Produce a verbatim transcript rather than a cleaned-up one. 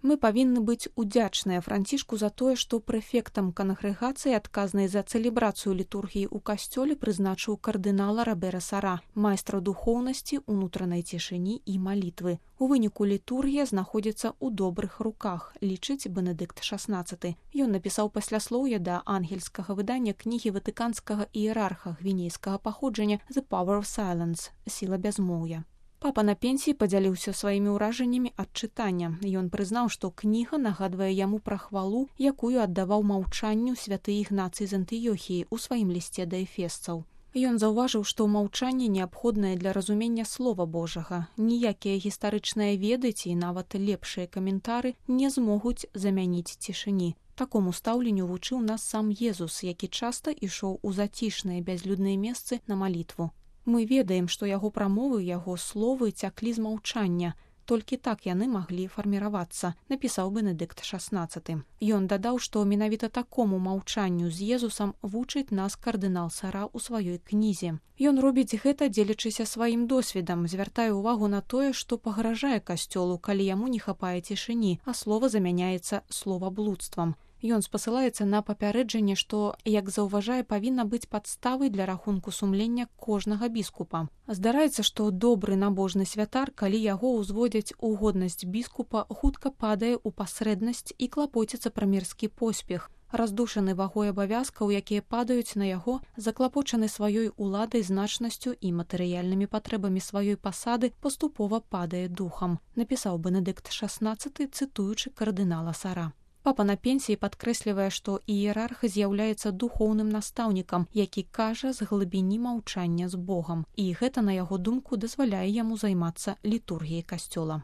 Мы павінны быць удзячныя Францішку за тое, што прэфектам кангрэгацыі, адказнай за цэлебрацыю літургіі ў касцёле, прызначыў кардынала Робера Сара, майстра духоўнасці, унутранай цішыні і малітвы. У выніку літургія знаходзіцца ў добрых руках, лічыць Бенедыкт шаснаццаты. Ён напісаў пасляслоўе да ангельскага выдання кнігі ватыканскага іерарха гвінейскага паходжання «The Power of Silence» – «Сіла бязмоўя». Папа на пенсіі падзяліўся сваімі ўражаннямі ад чытання. Ён прызнаў, што кніга нагадвае яму пра хвалу, якую аддаваў маўчанню святы Ігнацый з Антыёхіі ў сваім лісце да эфесцаў. Ён заўважыў, што маўчанне неабходнае для разумення слова Божага. Ніякія гістарычныя веды ці нават лепшыя каментары не змогуць замяніць цішыні. Такому стаўленню вучыў нас сам Езус, які часта ішоў у зацішныя бязлюдныя месцы на малітву. Мы ведаем, што яго прамовы, яго словы цяклі з маўчання. Толькі так яны маглі фарміравацца, напісаў Бенедыкт шаснаццаты. Ён дадаў, што менавіта такому маўчанню з Езусам вучыць нас кардынал Сара ў сваёй кнізе. Ён робіць гэта, дзелячыся сваім досведам, звяртае ўвагу на тое, што пагражае касцёлу, калі яму не хапае цішыні, а слова замяняецца словаблудствам. Ён спасылаецца на папярэджанне, што, як заўважае, павінна быць падставай для рахунку сумлення кожнага біскупа. Здараецца, што добры набожны святар, калі яго ўзводзяць у годнасць біскупа, хутка падае ў пасрэднасць і клапоціцца пра мірскі поспех. Раздушаны вагой абавязкаў, якія падаюць на яго, заклапочаны сваёй уладай, значнасцю і матэрыяльнымі патрэбамі сваёй пасады, паступова падае духам, напісаў Бенедыкт шаснаццаты, цытуючы кардынала Сара. Папа на пенсіі падкрэслівае, што іерарх з'яўляецца духоўным настаўнікам, які кажа з глыбіні маўчання з Богам, і гэта, на яго думку, дазваляе яму займацца літургіяй касцёла.